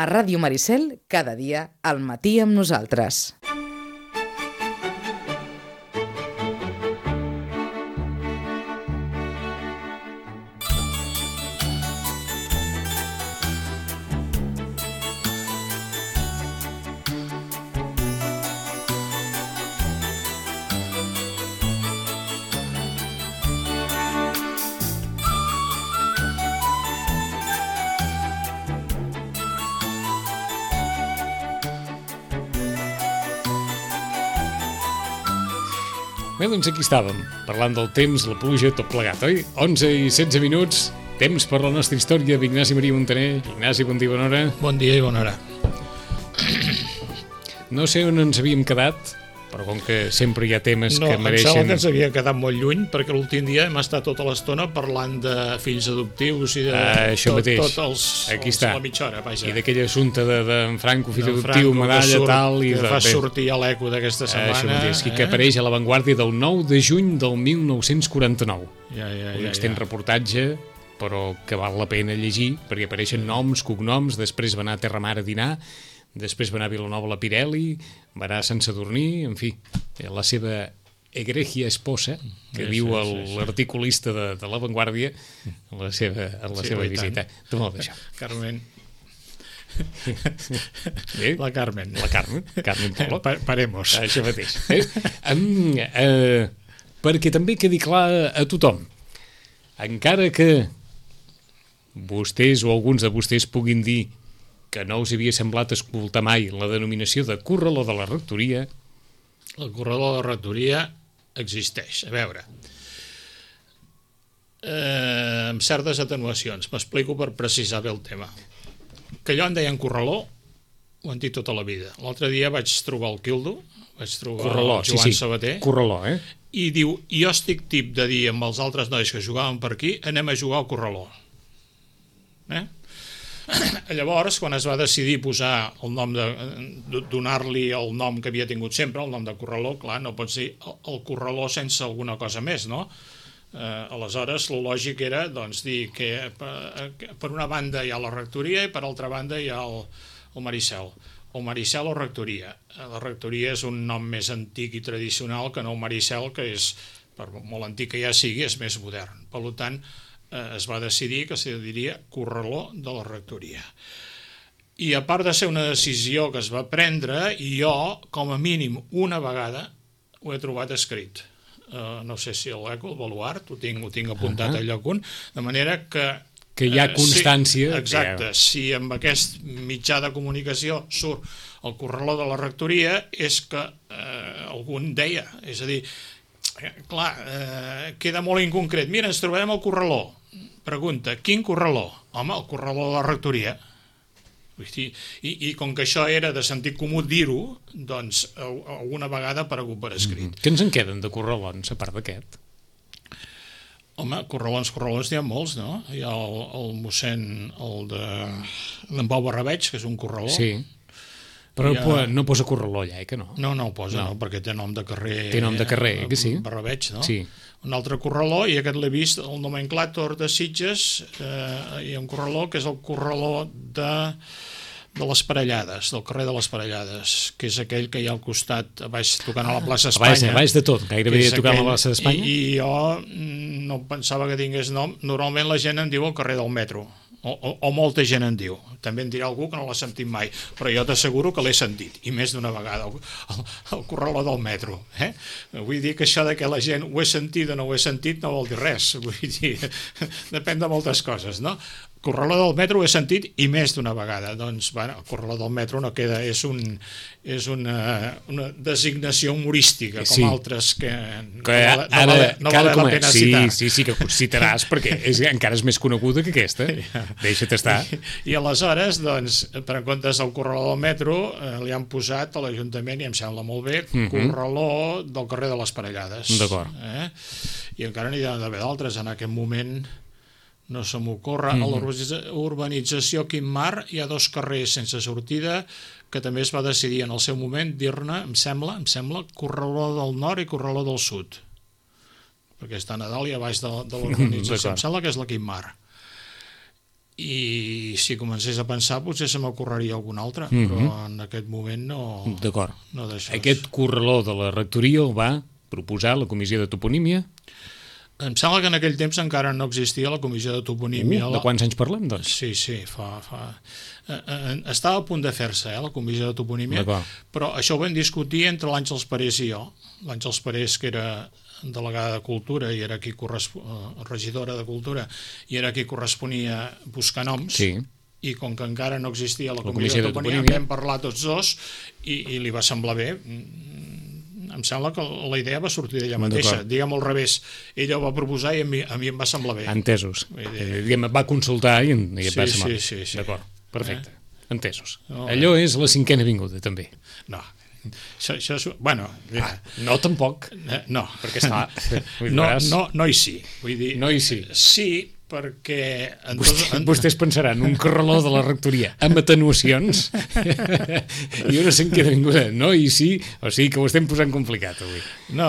A Ràdio Maricel, cada dia, al matí amb nosaltres. Bé, doncs aquí estàvem, parlant del temps, la pluja, tot plegat, oi? 11 i 16 minuts, temps per la nostra història d'Ignasi Maria Montaner. Ignasi, bon dia i bona hora. Bon dia i bona hora. No sé on ens havíem quedat, però com que sempre hi ha temes que mereixen... No, em sembla que ens havia quedat molt lluny, perquè l'últim dia hem estat tota l'estona parlant de fills adoptius i de la mitja hora, vaja. I d'aquell assumpte d'en Franco, fill adoptiu, medalla, tal... Que fa sortir a l'eco d'aquesta setmana. Això mateix, que apareix a l'avantguàrdia del 9 de juny del 1949. Un extens reportatge, però que val la pena llegir, perquè apareixen noms, cognoms, després va anar a Terramar a dinar, després va anar a Vilanova la Pirelli, va anar a Sant Sadurní, en fi, la seva egregia esposa, que diu l'articulista de l'avantguàrdia, en la seva visita. Tu molt d'això. Carmen. La Carmen Polo. Paremos. Això mateix. Perquè també quedi clar a tothom, encara que vostès o alguns de vostès puguin dir que no us havia semblat escoltar mai la denominació de corraló de la rectoria. El corraló de la rectoria existeix. A veure, amb certes atenuacions. M'explico per precisar bé el tema. Que allò en deien corraló, ho han dit tota la vida. L'altre dia vaig trobar el Quildo, vaig trobar el Joan Sabater, corraló, i diu, jo estic tip de dir amb els altres nois que jugaven per aquí, anem a jugar al corraló. Llavors, quan es va decidir posar el nom donar-li el nom que havia tingut sempre, el nom de corraló, clar, no pots dir el corraló sense alguna cosa més, no? Aleshores, el lògic era doncs, dir que per una banda hi ha la rectoria i per altra banda hi ha el Maricel. O Maricel o rectoria. La rectoria és un nom més antic i tradicional que no el Maricel, que és, per molt antic que ja sigui, és més modern. Per tant, es va decidir que se diria corraló de la rectoria. I a part de ser una decisió que es va prendre, jo, com a mínim una vegada, ho he trobat escrit. No sé si a l'Eco, el Baluart, ho tinc apuntat al lloc un, de manera que hi ha constància. Exacte, si amb aquest mitjà de comunicació surt el corraló de la rectoria, és que algun deia, és a dir, clar, queda molt inconcret. Mira, ens trobarem al corraló. Pregunta, quin corraló? Home, el corraló de la rectoria. I com que això era de sentit comú dir-ho, doncs alguna vegada ha aparegut per escrit. Què ens en queden de corralons, a part d'aquest? Home, corralons n'hi ha molts, no? Hi ha el mossèn, el d'en Pau Barrabeig, que és un corraló. Sí. Però no posa corraló allà, que no? No ho posa, no, perquè té nom de carrer. Té nom de carrer, que sí? Barrabeig, no? Sí. Un altre corraló, i aquest l'he vist, el nomenclàtor de Sitges, hi ha un corraló que és el corraló de les Parellades, del carrer de les Parellades, que és aquell que hi ha al costat, a baix, tocant a la plaça Espanya. A baix de tot, gairebé tocant a la plaça d'Espanya. I jo no pensava que tingués nom. Normalment la gent en diu el carrer del metro, o molta gent en diu. També en dirà algú que no l'ha sentit mai, però jo t'asseguro que l'he sentit, i més d'una vegada, el corraló del metro. Vull dir que això de que la gent ho he sentit o no ho he sentit no vol dir res, vull dir, depèn de moltes coses, no? Corraló del metro ho he sentit i més d'una vegada. Doncs, bueno, el corraló del metro no queda, és una designació humorística, com altres que no val la pena citar. Sí, que citaràs, perquè encara és més coneguda que aquesta. Deixa't estar. I aleshores, doncs, per en comptes del corraló del metro, li han posat a l'Ajuntament, i em sembla molt bé, corraló del carrer de les Parellades. D'acord. I encara n'hi ha d'haver d'altres en aquest moment. No se m'ocorre. A l'urbanització Quimmar hi ha 2 carrers sense sortida que també es va decidir en el seu moment dir-ne, em sembla, corraló del nord i corraló del sud. Perquè està a Nadal i a baix de l'urbanització. Em sembla que és la Quimmar. i si comencés a pensar potser se m'ocorreria algun altre, però en aquest moment no... D'acord. No d'això. Aquest corraló de la rectoria el va proposar la comissió de toponímia? Em sembla que en aquell temps encara no existia la comissió de toponímia. De quants anys parlem, doncs? Sí, estava a punt de fer-se, la comissió de toponímia, però això ho vam discutir entre l'Àngels Parés i jo. L'Àngels Parés, que era delegada de Cultura i era qui regidora de Cultura, i era qui corresponia buscar noms, i com que encara no existia la comissió de toponímia, vam parlar tots dos i li va semblar bé. Em sembla que la idea va sortir d'ella mateixa, diguem al revés, ella ho va proposar i a mi em va semblar bé. Entesos. Va consultar i et va semblar bé. Sí. D'acord, perfecte, entesos. Allò és la 5a avinguda, també. No, això és... Bueno... No, tampoc. No. Perquè està... No i sí. Vull dir... No i sí. Sí, perquè... Vostès pensaran un corraló de la rectoria amb atenuacions i una 5a avinguda. No i sí, o sigui que ho estem posant complicat avui. No,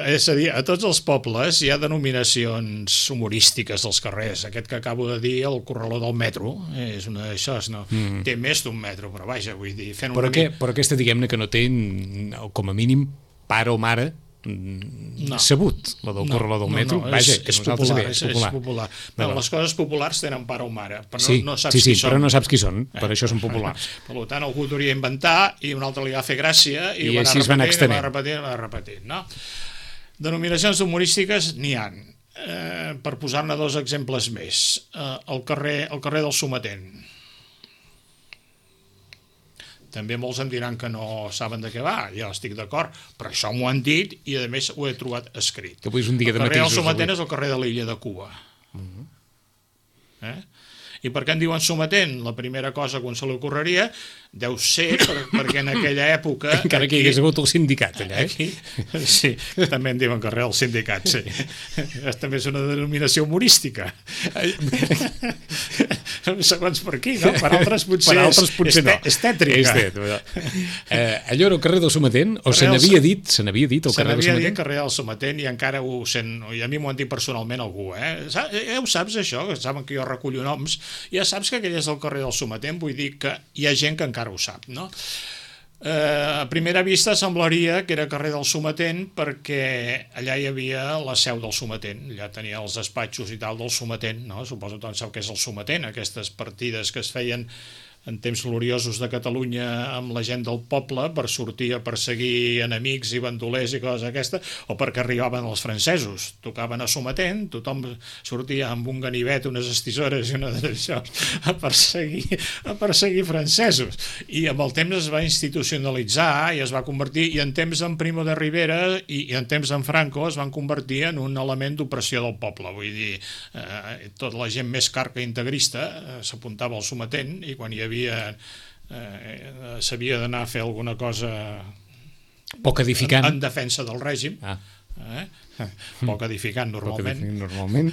és a dir, a tots els pobles hi ha denominacions humorístiques dels carrers. Aquest que acabo de dir, el corraló del metro, és una d'això, no? Té més d'un metro, però vaja, vull dir... Però aquesta, diguem-ne, que no té, com a mínim, pare o mare sabut, la del corraló del metro. Vaja, que nosaltres sabem, és popular. Les coses populars tenen pare o mare, però no saps qui qui són. Però no saps qui són, per això són populars. Per tant, algú hauria inventar i un altre li va fer gràcia i així es va anar extenent. Va repetir. Denominacions humorístiques n'hi ha. Per posar-ne dos exemples més. El carrer del Sometent. També molts em diran que no saben de què va, ja estic d'acord, però això m'ho han dit i a més ho he trobat escrit. Que avui és un dia de matisos. El carrer del Sometent és el carrer de l'illa de Cuba. I per què en diuen Sometent? La primera cosa que un se li ocorreria deu ser perquè en aquella època... Encara que hi hagués hagut el sindicat allà, Sí, també en diuen carrer del sindicat, sí. També és una denominació humorística. Segons per aquí, no? Per altres potser no. És tètrica. Allò era el carrer del Sometent? O se n'havia dit el carrer del Sometent? Se n'havia dit carrer del Sometent i encara ho sent... I a mi m'ho han dit personalment algú, ho saps això? Saben que jo recullo noms. Ja saps que aquell és el carrer del Sometent, vull dir que hi ha gent que encara ho sap, no? A primera vista semblaria que era carrer del Sometent perquè allà hi havia la seu del Sometent, allà tenia els despatxos i tal del Sometent, no? Suposo que tothom sap què és el Sometent, aquestes partides que es feien en temps gloriosos de Catalunya amb la gent del poble per sortir a perseguir enemics i bandolers i coses aquestes, o perquè arribaven els francesos, tocaven a Sometent, tothom sortia amb un ganivet, unes estisores i una d'això a perseguir francesos, i amb el temps es va institucionalitzar i es va convertir, i en temps en Primo de Rivera i en temps en Franco es van convertir en un element d'opressió del poble, vull dir, tota la gent més carca i integrista s'apuntava al Sometent i quan hi havia s'havia d'anar a fer alguna cosa poc edificant en defensa del règim, poc edificant normalment,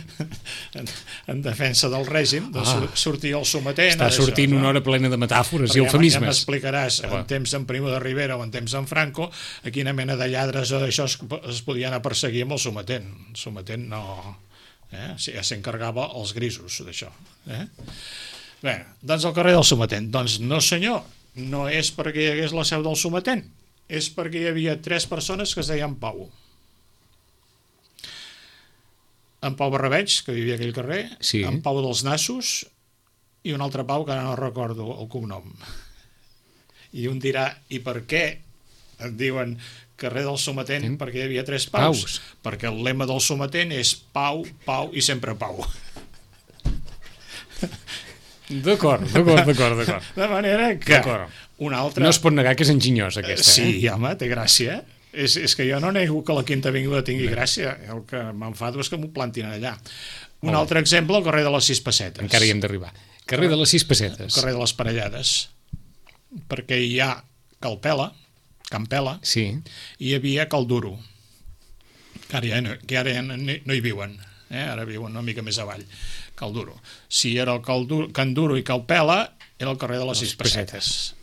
en defensa del règim, doncs sortia el Sometent. Està sortint una hora plena de metàfores i eufemismes. Ja m'explicaràs en temps en Primo de Rivera o en temps en Franco a quina mena de lladres o d'això es podien a perseguir amb el Sometent. El Sometent no... s'encarregava els grisos d'això. Bé, doncs el carrer del Sometent. Doncs no senyor, no és perquè hi hagués la seu del Sometent, és perquè hi havia 3 persones que es deien Pau. En Pau Barrabeig, que vivia a aquell carrer, en Pau dels Nassos i un altre Pau que ara no recordo el cognom. I un dirà, i per què et diuen carrer del Sometent? Perquè hi havia 3 Paus. Perquè el lema del Sometent és Pau, Pau i sempre Pau. D'acord. De manera que un altre... No es pot negar que és enginyós, aquesta. Sí, home, té gràcia. És que jo no nego que la Quinta Avinguda tingui gràcia. El que m'enfado és que m'ho plantin allà. Un altre exemple, el carrer de les 6 Pessetes. Encara hi hem d'arribar. Carrer de les 6 Pessetes. El carrer de les Parellades. Perquè hi ha Campela, i hi havia Calduro, que ara no hi viuen. Ara viuen una mica més avall. Calduro. Si era el Can Duro i Calpela, era el carrer de les 6 Pessetes.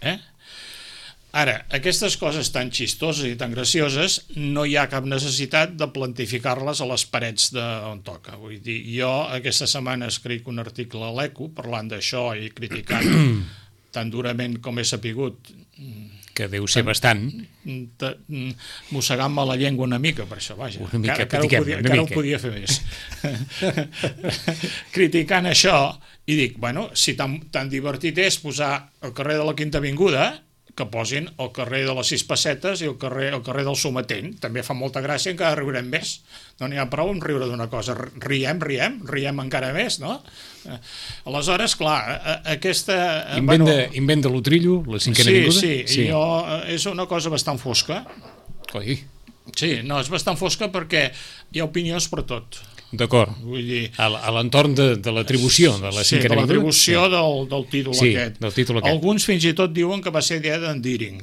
Ara, aquestes coses tan xistoses i tan gracioses no hi ha cap necessitat de plantificar-les a les parets d'on toca. Vull dir, jo aquesta setmana escric un article a l'Eco parlant d'això i criticant tan durament com he sapigut, que deu ser bastant, mossegant-me la llengua una mica per això, vaja, una mica, encara ho podia fer més. Criticant això, i dic, bueno, si tan divertit és posar al carrer de la Quinta Avinguda, que posin el carrer de les 6 Pessetes i el carrer del Sometent. També fa molta gràcia, encara riurem més. No n'hi ha prou en riure d'una cosa. Riem encara més, no? Aleshores, clar, aquesta... Invent de l'Utrillo, la Cinquena Avinguda? Sí. És una cosa bastant fosca. Oi? Sí, no, és bastant fosca perquè hi ha opinions per tot. D'acord. Vull dir... A l'entorn de l'atribució de la Cinquena Avinguda? Sí, de l'atribució del títol aquest. Del títol aquest. Alguns fins i tot diuen que va ser idea d'en Deering.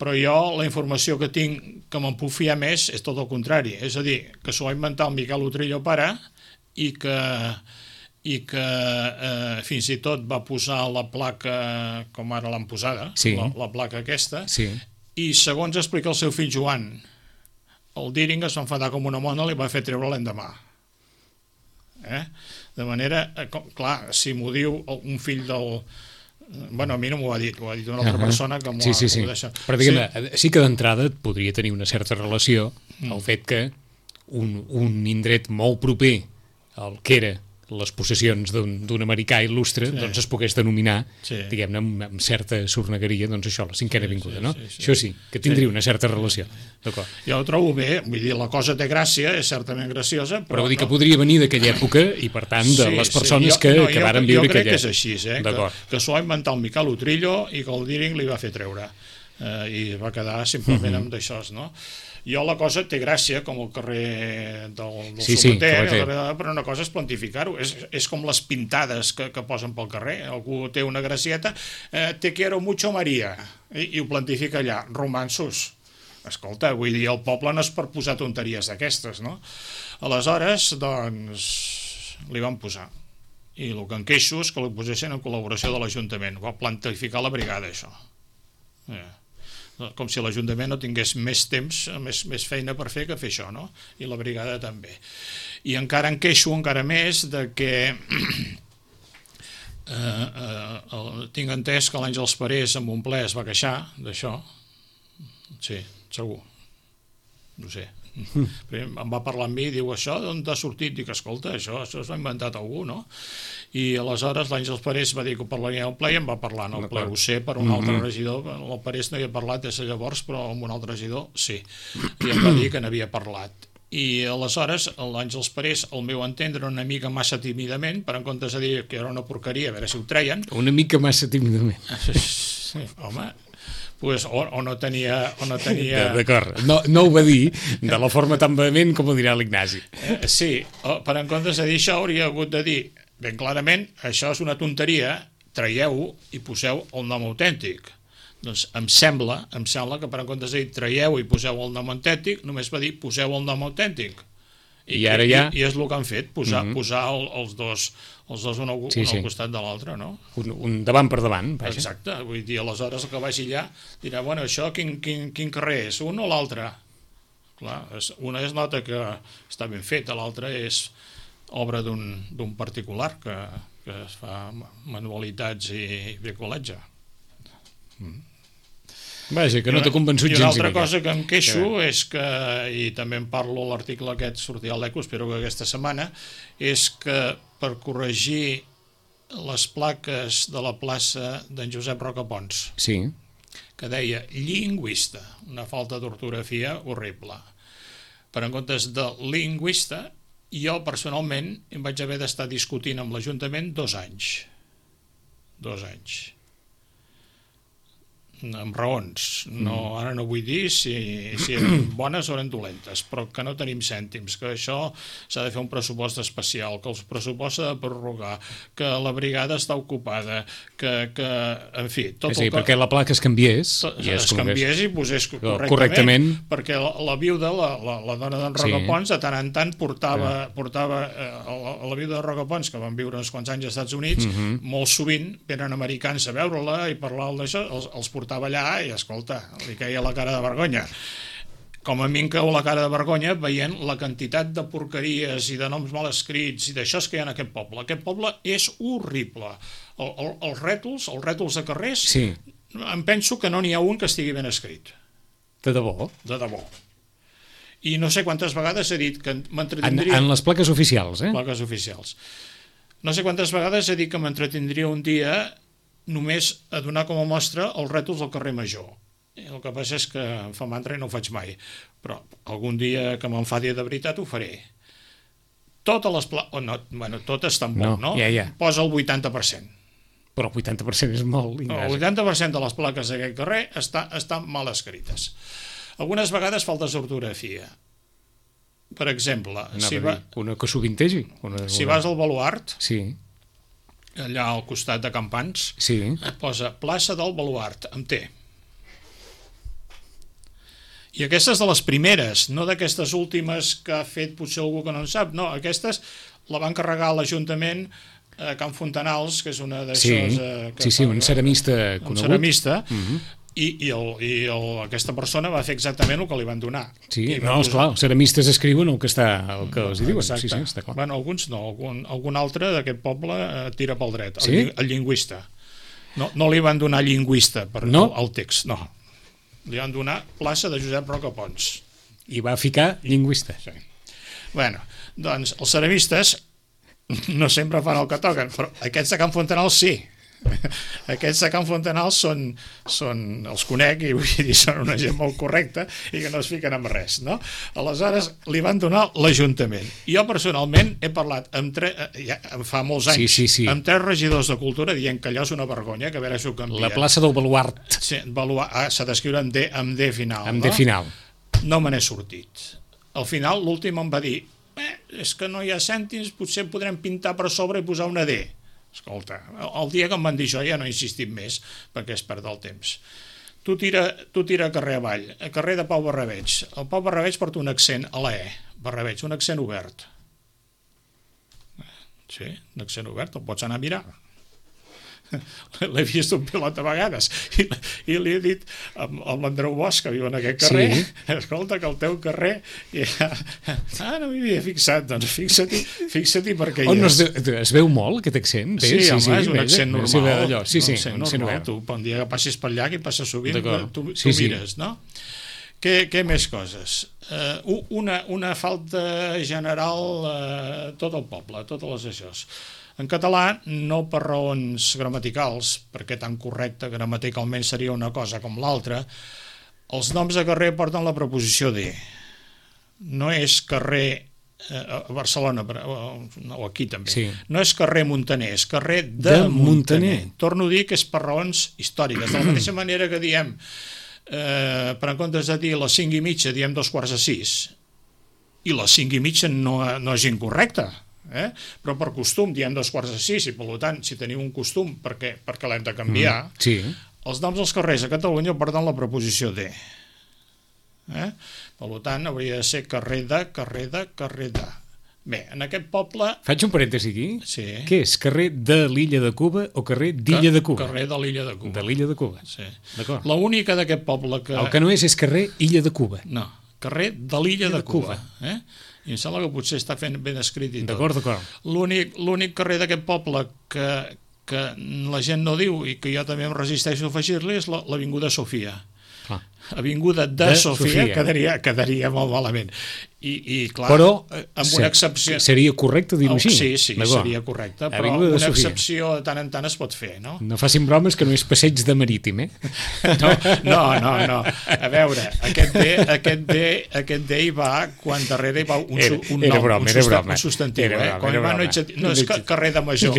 Però jo la informació que tinc, que me'n puc fiar més, és tot el contrari. És a dir, que s'ho va inventar el Miquel Utrillo pare i que fins i tot va posar la placa com ara l'han posada, la placa aquesta, i segons explica el seu fill Joan, el Deering es va enfadar com una mona i li va fer treure l'endemà. De manera, clar, si m'ho diu un fill del... Bueno, a mi no m'ho ha dit, ho ha dit una altra persona que m'ho ha deixat. Però diguem-ne, sí que d'entrada podria tenir una certa relació el fet que un indret molt proper al que era les possessions d'un americà il·lustre, doncs es pogués denominar, diguem-ne, amb certa sornegueria, doncs això, la Cinquena Avinguda, no? Això sí, que tindria una certa relació. D'acord. Jo ho trobo bé, vull dir, la cosa té gràcia, és certament graciosa, però vull dir que podria venir d'aquella època i, per tant, de les persones que varen viure aquella... Jo crec que és així, que s'ho va inventar el Miquel Utrillo i que el Deering li va fer treure. I va quedar simplement amb d'això, no? Jo la cosa té gràcia, com el carrer del Sometent, però una cosa és plantificar-ho, és com les pintades que posen pel carrer, algú té una gracieta, te quiero mucho María, i ho plantifica allà, romansos. Escolta, vull dir, el poble no és per posar tonteries d'aquestes, no? Aleshores, doncs, li van posar. I el que em queixo és que li posessin en col·laboració de l'Ajuntament, va plantificar la brigada, això. Com si l'Ajuntament no tingués més temps, més feina per fer que fer això, no? I la brigada també. I encara em queixo encara més de que tinc entès que l'Àngels Parés en un ple es va queixar d'això. Sí, segur. No sé. Em va parlar amb mi i diu, això d'on t'ha sortit? Dic, escolta, això s'ho ha inventat algú, no? I aleshores l'Àngels Parés va dir que ho parlaria al ple i em va parlar en el ple, ho sé, per un altre regidor. El Parés no hi ha parlat des de llavors, però amb un altre regidor sí, i em va dir que n'havia parlat. I aleshores l'Àngels Parés, al meu entendre, una mica massa tímidament, per en comptes de dir que era una porqueria, a veure si ho treien. Una mica massa tímidament. Sí, home, pues, o no tenia... D'acord, no ho va dir de la forma tan vehement com ho dirà l'Ignasi. Sí, per en comptes de dir això hauria hagut de dir ben clarament, això és una tonteria, traieu-ho i poseu el nom autèntic. Doncs em sembla que per en comptes de dir traieu i poseu el nom autèntic, només va dir poseu el nom autèntic. I ara ja... I és el que han fet, posar els dos un al costat de l'altre, no? Un davant per davant, vaja. Exacte, vull dir, aleshores el que vagi allà dirà, bueno, això quin carrer és, un o l'altre? Clar, una es nota que està ben feta, l'altra és obra d'un particular que es fa manualitats i bricolatge. Vaja, que no t'ha convençut gens. I una altra cosa que em queixo és que, i també en parlo a l'article aquest, sortirà a l'Eco, espero que aquesta setmana, és que per corregir les plaques de la plaça d'en Josep Rocapons, que deia lingüista, una falta d'ortografia horrible. Per en comptes de lingüista, jo personalment em vaig haver d'estar discutint amb l'Ajuntament 2 anys. 2 anys. amb raons. No, ara no vull dir si eren bones o eren dolentes, però que no tenim cèntims, que això s'ha de fer un pressupost especial, que el pressupost s'ha de prorrogar, que la brigada està ocupada, que en fi... Tot és a dir, perquè la placa es canviés es canviés i posés correctament, perquè la viuda, la dona d'en Rocapons, de tant en tant portava la viuda de Rocapons, que van viure uns quants anys als Estats Units, molt sovint venen americans a veure-la i parlar d'això, els portava allà i, escolta, li queia la cara de vergonya. Com a mi em cau la cara de vergonya veient la quantitat de porqueries i de noms mal escrits i d'això que hi ha en aquest poble. Aquest poble és horrible. Els rètols de carrers, em penso que no n'hi ha un que estigui ben escrit. De debò? De debò. I no sé quantes vegades he dit que m'entretindria... En les plaques oficials, Plaques oficials. No sé quantes vegades he dit que m'entretindria un dia només a donar com a mostra els rètols del carrer Major. El que passa és que em fa mandra i no ho faig mai, però algun dia que m'enfadi de veritat ho faré. Totes les plaques... totes tampoc, no? Posa el 80%. Però el 80% és molt... El 80% de les plaques d'aquest carrer estan mal escrites. Algunes vegades falta ortografia. Per exemple, una que sovintegi. Si vas al Baluart, sí, allà al costat de Campans, et posa plaça del Baluart, amb T. I aquestes de les primeres, no d'aquestes últimes que ha fet potser algú que no en sap, no, aquestes la van carregar a l'Ajuntament a Can Fontanals, que és una d'aixòs... Sí, un ceramista conegut. Un ceramista, i aquesta persona va fer exactament el que li van donar. Sí, no, esclar, els ceramistes escriuen el que els diuen. Sí, està clar. Bueno, alguns no, algun altre d'aquest poble tira pel dret, el lingüista. No li van donar lingüista al text, no. Li van donar plaça de Josep Rocapons. I va ficar lingüista. Sí. Bueno, doncs els ceramistes no sempre fan el que toquen, però aquests de Can Fontanals sí. Aquests de Can Fontanals els conec i vull dir, són una gent molt correcta i que no es fiquen amb res, no? Aleshores li van donar l'Ajuntament. Jo personalment he parlat fa molts anys amb 3 regidors de cultura dient que allò és una vergonya, que a veure si ho canvien. La plaça del Baluart. Sí, s'ha d'escriure amb D final. Amb D final. No me n'he sortit. Al final l'últim em va dir és que no hi ha cèntims, potser podrem pintar per sobre i posar una D. Escolta, el dia que em van dir això ja no he insistit més perquè es perd el temps. Tu tira carrer avall, a carrer de Pau Barrabeig. El Pau Barrabeig porta un accent a la E, Barrabeig, un accent obert. Sí, un accent obert, el pots anar a mirar. L'he vist un pilot a vegades i li he dit a l'Andreu Bosch, que viu en aquest carrer, escolta, que el teu carrer no m'hi havia fixat, doncs fixa-t'hi perquè es veu molt aquest accent? Sí, home, és un accent normal. Sí, un accent normal. Tu, un dia que passis per allà, que hi passes sovint, tu mires, no? Què més coses? Una falta general tot el poble, totes les aixòs. En català, no per raons gramaticals, perquè tan correcte gramaticalment seria una cosa com l'altra, els noms de carrer porten la preposició de. No és carrer a Barcelona, o aquí també, no és carrer Muntaner, és carrer de Muntaner. Torno a dir que és per raons històriques. De la mateixa manera que diem, per en comptes de dir les 5:30, diem 5:45, i les 5:30 no és incorrecte, però per costum diem 5:45 i per tant si teniu un costum perquè l'hem de canviar, els noms dels carrers a Catalunya porten la preposició de. Per tant hauria de ser carrer de. Bé, en aquest poble... Faig un parèntesi aquí? Sí. Què és? Carrer de l'Illa de Cuba o carrer d'Illa de Cuba? Carrer de l'Illa de Cuba. De l'Illa de Cuba, sí. D'acord. L'única d'aquest poble que... El que no és carrer Illa de Cuba. No, carrer de l'Illa de Cuba. I em sembla que potser està ben escrit i tot. D'acord. L'únic carrer d'aquest poble que la gent no diu i que jo també em resisteixo a afegir-li és l'Avinguda Sofia. Avinguda de Sofia quedaria molt malament. I clar, però amb una excepció... seria correcte dir-ho així? Sí, seria correcte, però una excepció de tant en tant es pot fer, no? No facin bromes que no és passeig de marítim, No. A veure, aquest D hi va quan darrere hi va un nom, un substantiu. Quan hi va no és carrer de major.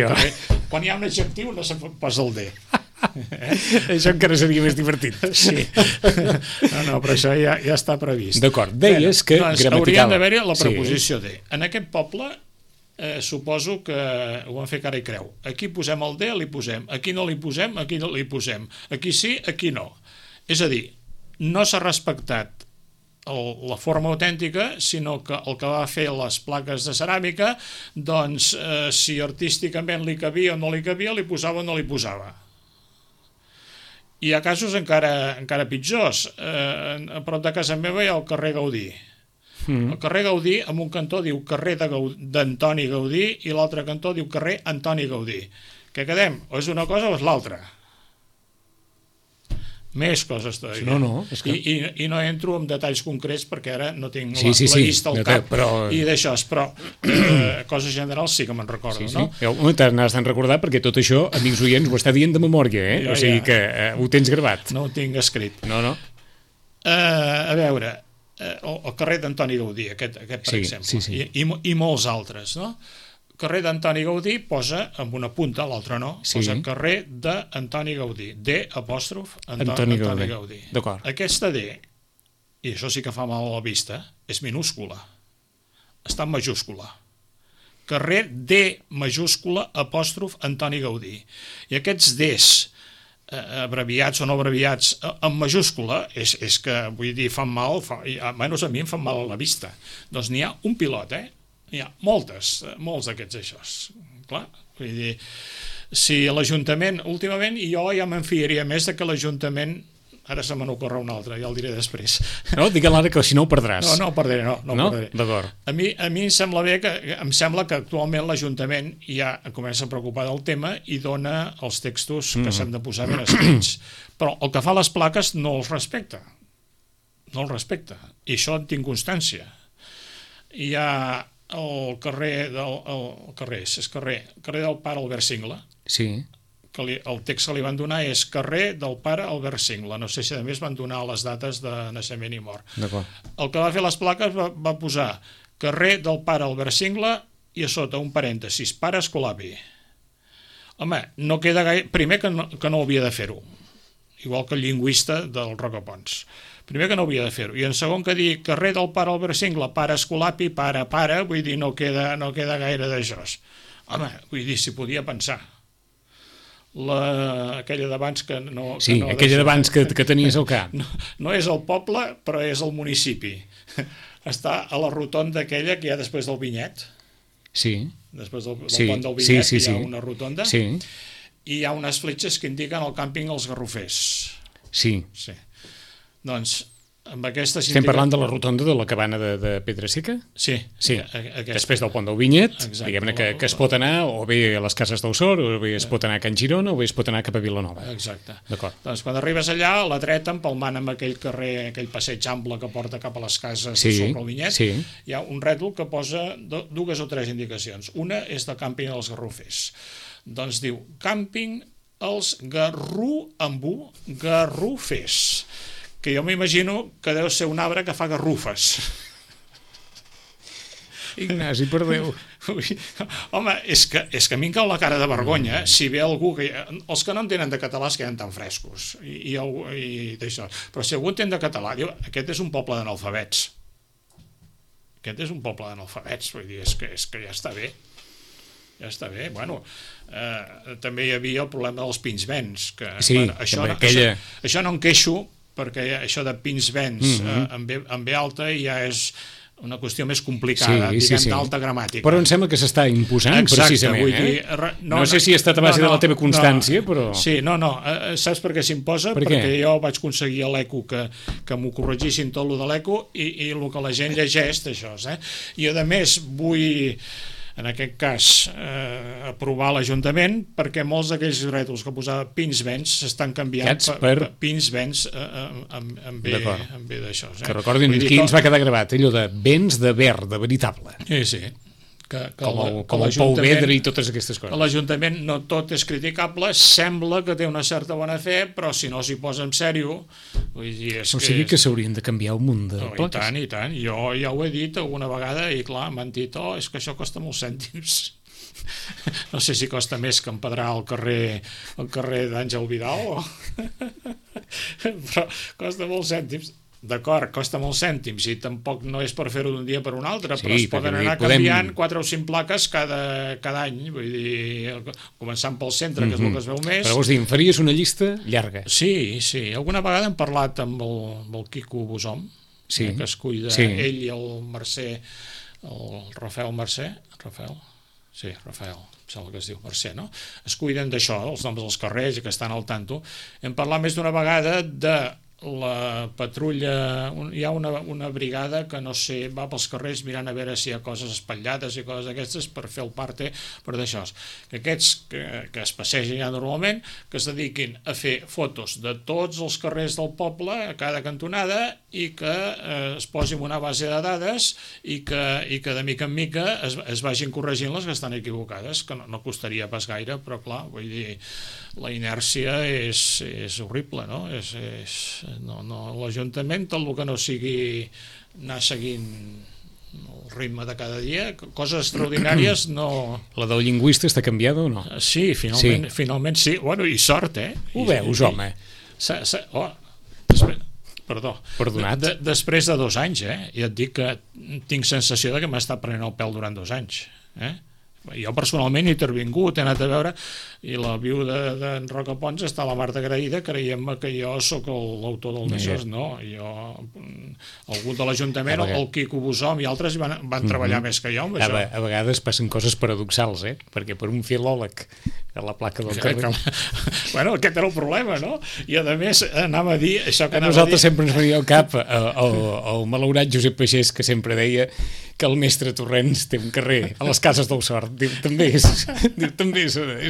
Quan hi ha un adjectiu no se posa el D. Això encara seria més divertit. Sí. No, però això ja està previst. D'acord, deies que gramatical. Hauríem d'haver-hi la preposició de. En aquest poble suposo que ho van fer cara i creu. Aquí posem el de, li posem. Aquí no li posem, aquí no li posem. Aquí sí, aquí no. És a dir, no s'ha respectat la forma autèntica, sinó que el que va fer les plaques de ceràmica, doncs, si artísticament li cabia o no li cabia, li posava o no li posava. Hi ha casos encara pitjors. A prop de casa meva hi ha el carrer Gaudí. El carrer Gaudí, en un cantó diu carrer d'Antoni Gaudí i l'altre cantó diu carrer Antoni Gaudí. Què quedem? O és una cosa o és l'altra? Més coses todavía. No, és que... I no entro en detalls concrets perquè ara no tinc la llista al cap i d'això, però coses generals sí que me'n recordo, no? Te n'has de recordar perquè tot això, amics oients, ho està dient de memòria, o sigui que ho tens gravat. No ho tinc escrit. No. A veure, el carrer d'Antoni Gaudí, aquest per exemple, i molts altres, no? Carrer d'Antoni Gaudí posa amb una punta, l'altra no, posa carrer d'Antoni Gaudí, Antoni Gaudí. Aquesta D, i això sí que fa mal a la vista, és minúscula, està en majúscula. Carrer D majúscula Antoni Gaudí. I aquests Ds abreviats o no abreviats en majúscula és que, vull dir, fan mal, almenys a mi em fan mal a la vista. Doncs n'hi ha un pilot, Hi ha molts d'aquests aixòs. Clar, vull dir, si l'Ajuntament, últimament, jo ja me'n fiaria més de que l'Ajuntament, ara se me n'ocorre un altre, ja el diré després. No, digue l'ara que si no ho perdràs. No ho perdré, no ho perdré. D'acord. A mi em sembla bé em sembla que actualment l'Ajuntament ja comença a preocupar del tema i dona els textos que s'han de posar ben escrits. Però el que fa les plaques no els respecta. No els respecta. I això en tinc constància. Hi ha el carrer del pare Albert Singla, que el text que li van donar és carrer del pare Albert Singla, no sé si a més van donar les dates de naixement i mort. El que va fer les plaques va posar carrer del pare Albert Singla i a sota un parèntesis, pare Escolapi. Home, no queda gaire... Primer que no hauria de fer-ho, igual que el lingüista del Rocapons. Primer que no hauria de fer-ho. I en segon que dir carrer del pare Albert Singla, pare Escolapi, pare, vull dir, no queda gaire d'això. Home, vull dir, s'hi podia pensar. Aquella d'abans que no... Sí, aquella d'abans que tenies al cap. No és el poble, però és el municipi. Està a la rotonda aquella que hi ha després del Vinyet. Sí. Després del pont del Vinyet hi ha una rotonda. Sí. I hi ha unes fletxes que indiquen el càmping Els Garrofers. Sí. Doncs amb aquesta... Estem parlant de la rotonda de la cabana de Pedra Seca? Sí. Després del pont del Vinyet, diguem-ne que es pot anar o bé a les Cases del Sor, o bé es pot anar a Can Girona, o bé es pot anar cap a Vilanova. Exacte. D'acord. Doncs quan arribes allà, a la dreta, empalmant amb aquell carrer, aquell passeig ample que porta cap a les cases sobre el Vinyet, hi ha un rètol que posa dues o tres indicacions. Una és de càmping Els Garrofers. Doncs diu, càmping Els Garrofers, que jo m'imagino que deu ser un arbre que fa garrufes. Ignasi, per Déu. Home, és que a mi em cau la cara de vergonya si ve algú que... Els que no entenen de català es queden tan frescos i d'això. Però si algú entén de català, diu, aquest és un poble d'analfabets. Aquest és un poble d'analfabets, vull dir, és que ja està bé. Ja està bé. Bueno, també hi havia el problema dels pinsbens. Això no em queixo, perquè això de pinsbens en B alta ja és una qüestió més complicada, diguem, d'alta gramàtica. Però em sembla que s'està imposant, precisament. Vull dir, no sé si ha estat a base de la teva constància, però... Sí, saps per què s'imposa? Perquè jo vaig aconseguir a l'ECO que m'ho corregissin tot el de l'ECO i el que la gent llegeix d'això. I a més vull... en aquest cas, aprovar l'Ajuntament, perquè molts d'aquells rètols que posava pinsbens s'estan canviant per pinsbens en B d'això. Que recordin qui ens va quedar gravat, allò de vents de verd, de veritable. Sí. Com el Pou Vedre i totes aquestes coses. L'Ajuntament no tot és criticable, sembla que té una certa bona fe, però si no s'hi posa en sèrio... O sigui que s'haurien de canviar el munt de plaques. I tant. Jo ja ho he dit alguna vegada i clar, m'han dit, és que això costa molts cèntims. No sé si costa més que empedrar el carrer d'Àngel Vidal, però costa molts cèntims. D'acord, costa molts cèntims i tampoc no és per fer-ho d'un dia per un altre, però es poden anar canviant 4 o 5 plaques cada any, vull dir, començant pel centre, que és el que es veu més. Però vols dir, em faries una llista llarga? Sí. Alguna vegada hem parlat amb el Quico Bosom, que es cuida ell i el Mercè, el Rafael Mercè, Rafael, sembla que es diu Mercè, no? Es cuiden d'això, els noms dels carrers i que estan al tanto. Hem parlat més d'una vegada de la patrulla, hi ha una brigada que no sé, va pels carrers mirant a veure si hi ha coses espatllades i coses d'aquestes per fer el parte, per d'això. Que aquests que es passegen ja normalment, que es dediquin a fer fotos de tots els carrers del poble a cada cantonada i que es posin una base de dades i que de mica en mica es vagin corregint les que estan equivocades, que no costaria pas gaire, però clar, vull dir, la inèrcia és horrible, no? L'Ajuntament, tot el que no sigui anar seguint el ritme de cada dia, coses extraordinàries no... La del lingüista està canviada o no? Sí, finalment sí. Bueno, i sort, Ho veus, home? Perdonat. Després de 2 anys, ja et dic que tinc sensació de que m'ha estat prenent el pèl durant 2 anys. Jo personalment he intervingut, he anat a veure, i la viuda d'en Rocapons està a la Marta agraïda, creiem que jo sóc l'autor del Neixós, no, algú de l'Ajuntament, el Quico Bosom i altres van treballar més que jo amb això. A vegades passen coses paradoxals, perquè per un filòleg a la placa del carrer... Bueno, aquest era el problema, no? I a més anava a dir això que anava a dir... Nosaltres sempre ens venia al cap el malaurat Josep Pagès, que sempre deia que el mestre Torrents té un carrer a les Cases del Sort. Diu, també és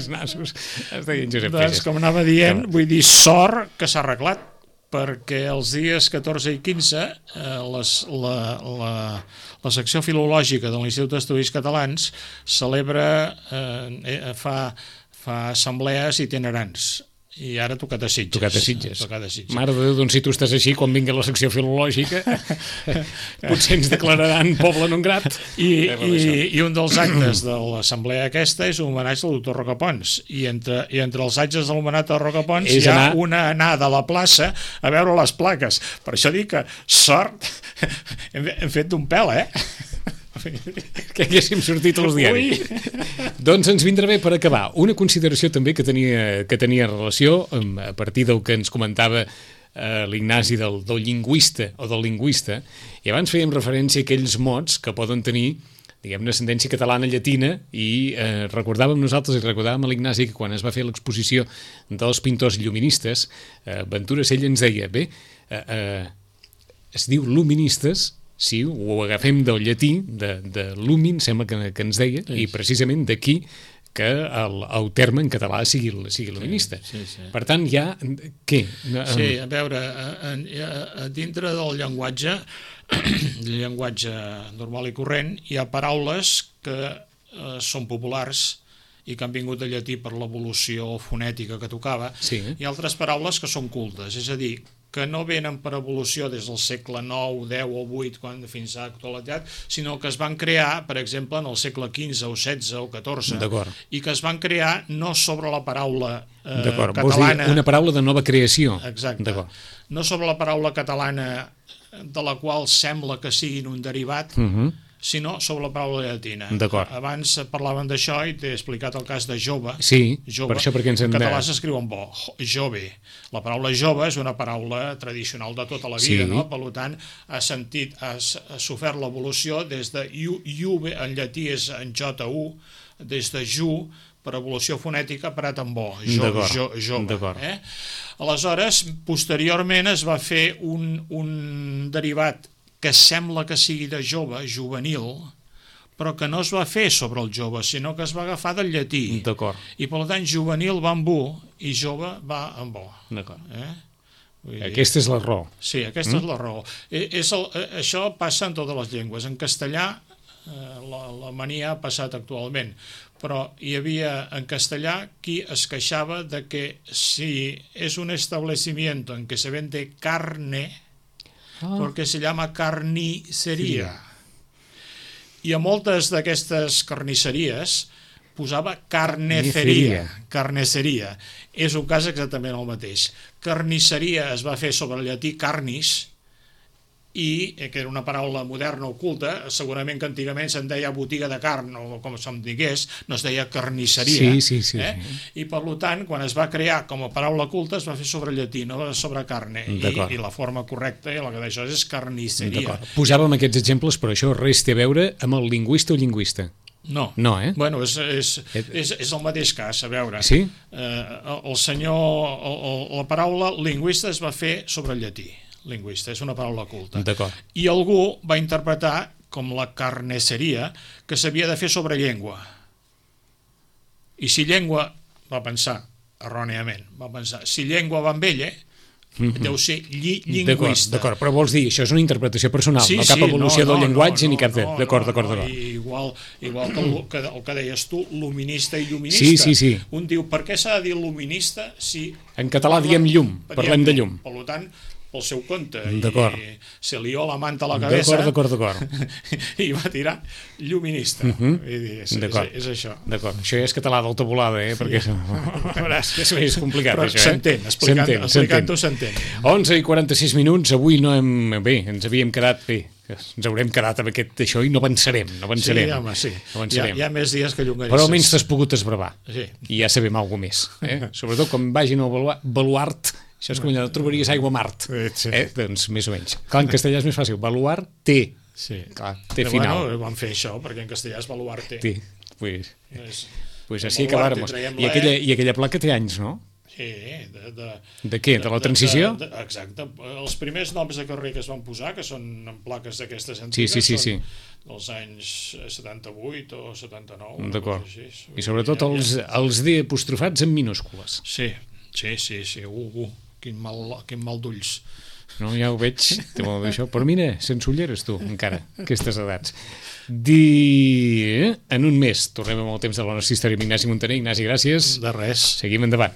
nassos. Es deia en Josep Pagès. Doncs, com anava dient, vull dir, sort que s'ha arreglat, perquè els dies 14 i 15 la secció filològica de l'Institut d'Estudis Catalans celebra, fa assemblees itinerants. I ara tocat a Sitges. Tocat a Sitges. Mare de Déu, doncs si tu estàs així, quan vingui la secció filològica, potser ens declararan poble non grat. I un dels actes de l'assemblea aquesta és un homenatge al doctor Rocapons. I entre els actes de l'homenatge al Rocapons hi ha una anada a la plaça a veure les plaques. Per això dic que sort hem fet d'un pèl, que haguéssim sortit als diaris. Doncs ens vindrà bé per acabar una consideració també que tenia relació a partir del que ens comentava l'Ignasi del lingüista o del lingüista, i abans fèiem referència a aquells mots que poden tenir, diguem-ne, ascendència catalana llatina, i recordàvem nosaltres i recordàvem a l'Ignasi que quan es va fer l'exposició dels pintors lluministes, Ventura Sella ens deia, es diu luministes. Sí, ho agafem del llatí, de lumin, sembla que ens deia, i precisament d'aquí que el terme en català sigui luminista. Per tant, hi ha... Què? Sí, a veure, dintre del llenguatge normal i corrent, hi ha paraules que són populars i que han vingut del llatí per l'evolució fonètica que tocava, i altres paraules que són cultes, és a dir, que no venen per evolució des del segle IX, X o VIII fins a l'actualitat, sinó que es van crear, per exemple, en el segle XV o XVI o XIV, i que es van crear no sobre la paraula catalana... Vols dir una paraula de nova creació. Exacte. No sobre la paraula catalana de la qual sembla que siguin un derivat, sinó sobre la paraula llatina. Abans parlaven d'això i t'he explicat el cas de jove. Sí, per això perquè ens hem de... En català s'escriu amb bo, jove. La paraula jove és una paraula tradicional de tota la vida, no? Per tant, ha sofert l'evolució des de juve, en llatí és en J-U, des de ju, per evolució fonètica, parat amb bo, jove. Aleshores, posteriorment es va fer un derivat que sembla que sigui de jove, juvenil, però que no es va fer sobre el jove, sinó que es va agafar del llatí. I per tant, juvenil va amb bu i jove va amb bo. Aquesta és la raó. Sí, aquesta és la raó. Això passa en totes les llengües. En castellà, la mania ha passat actualment, però hi havia en castellà qui es queixava de que si és un establecimiento en què se vende carne, perquè se llama carnisseria. I a moltes d'aquestes carnisseries posava carniceria. Carniceria. És un cas exactament el mateix. Carnisseria es va fer sobre el llatí carnis, i que era una paraula moderna oculta, segurament que antigament se'n deia botiga de carn, o com se'm digués, no es deia carnisseria. Sí. I per tant, quan es va crear com a paraula culta, es va fer sobre llatí, no sobre carne, i la forma correcta, i la que d'això és carnisseria. Posàvem aquests exemples, però això res té a veure amb el lingüista o lingüista. No, Bueno, és el mateix cas, a veure. Sí? La paraula lingüista es va fer sobre el llatí. Lingüista, és una paraula culta. D'acord. I algú va interpretar com la carnisseria que s'havia de fer sobre llengua. I si llengua, va pensar, erròniament, si llengua va amb ella, deu ser lingüista. D'acord, però vols dir, això és una interpretació personal, no cap evolució del llenguatge ni cap... D'acord. Igual que el que deies tu, luminista i lluminista. Sí. Un diu, per què s'ha de dir luminista si... En català diem llum, parlem de llum. Per tant, pel seu compte, d'acord. I se lió la manta a la cabeza, d'acord. I va tirar lluminista. És això. D'acord, això ja és català d'alta volada, perquè és més complicat. Però això, s'entén, explicant-ho s'entén. 11:46 minuts, avui no hem... Bé, ens havíem quedat bé. Ens haurem quedat amb aquest d'això i no avançarem. Sí, home, sí. Hi ha més dies que llonganisses. Però almenys t'has pogut esbravar. Sí. I ja sabem alguna més. Sobretot quan vagin al baluart, això és com allò, trobaries aigua a Mart. Doncs més o menys. Clar, en castellà és més fàcil. Baluart té. Sí. Clar, té final. Bueno, vam fer això, perquè en castellà és baluart té. Té. Pues així acabáramos. I aquella placa té anys, no? Sí, de què? De la transició? Exacte. Els primers noms de carrer que es van posar, que són en plaques d'aquestes antigues, són dels anys 78 o 79. D'acord. I sobretot els D apostrofats en minúscules. Sí. Quin mal d'ulls. No, ja ho veig, té molt d'això. Però mira, sense ulleres tu, encara, aquestes edats. En un mes tornem amb el temps de la nostra història amb Ignasi Montaner. Ignasi, gràcies. De res. Seguim endavant.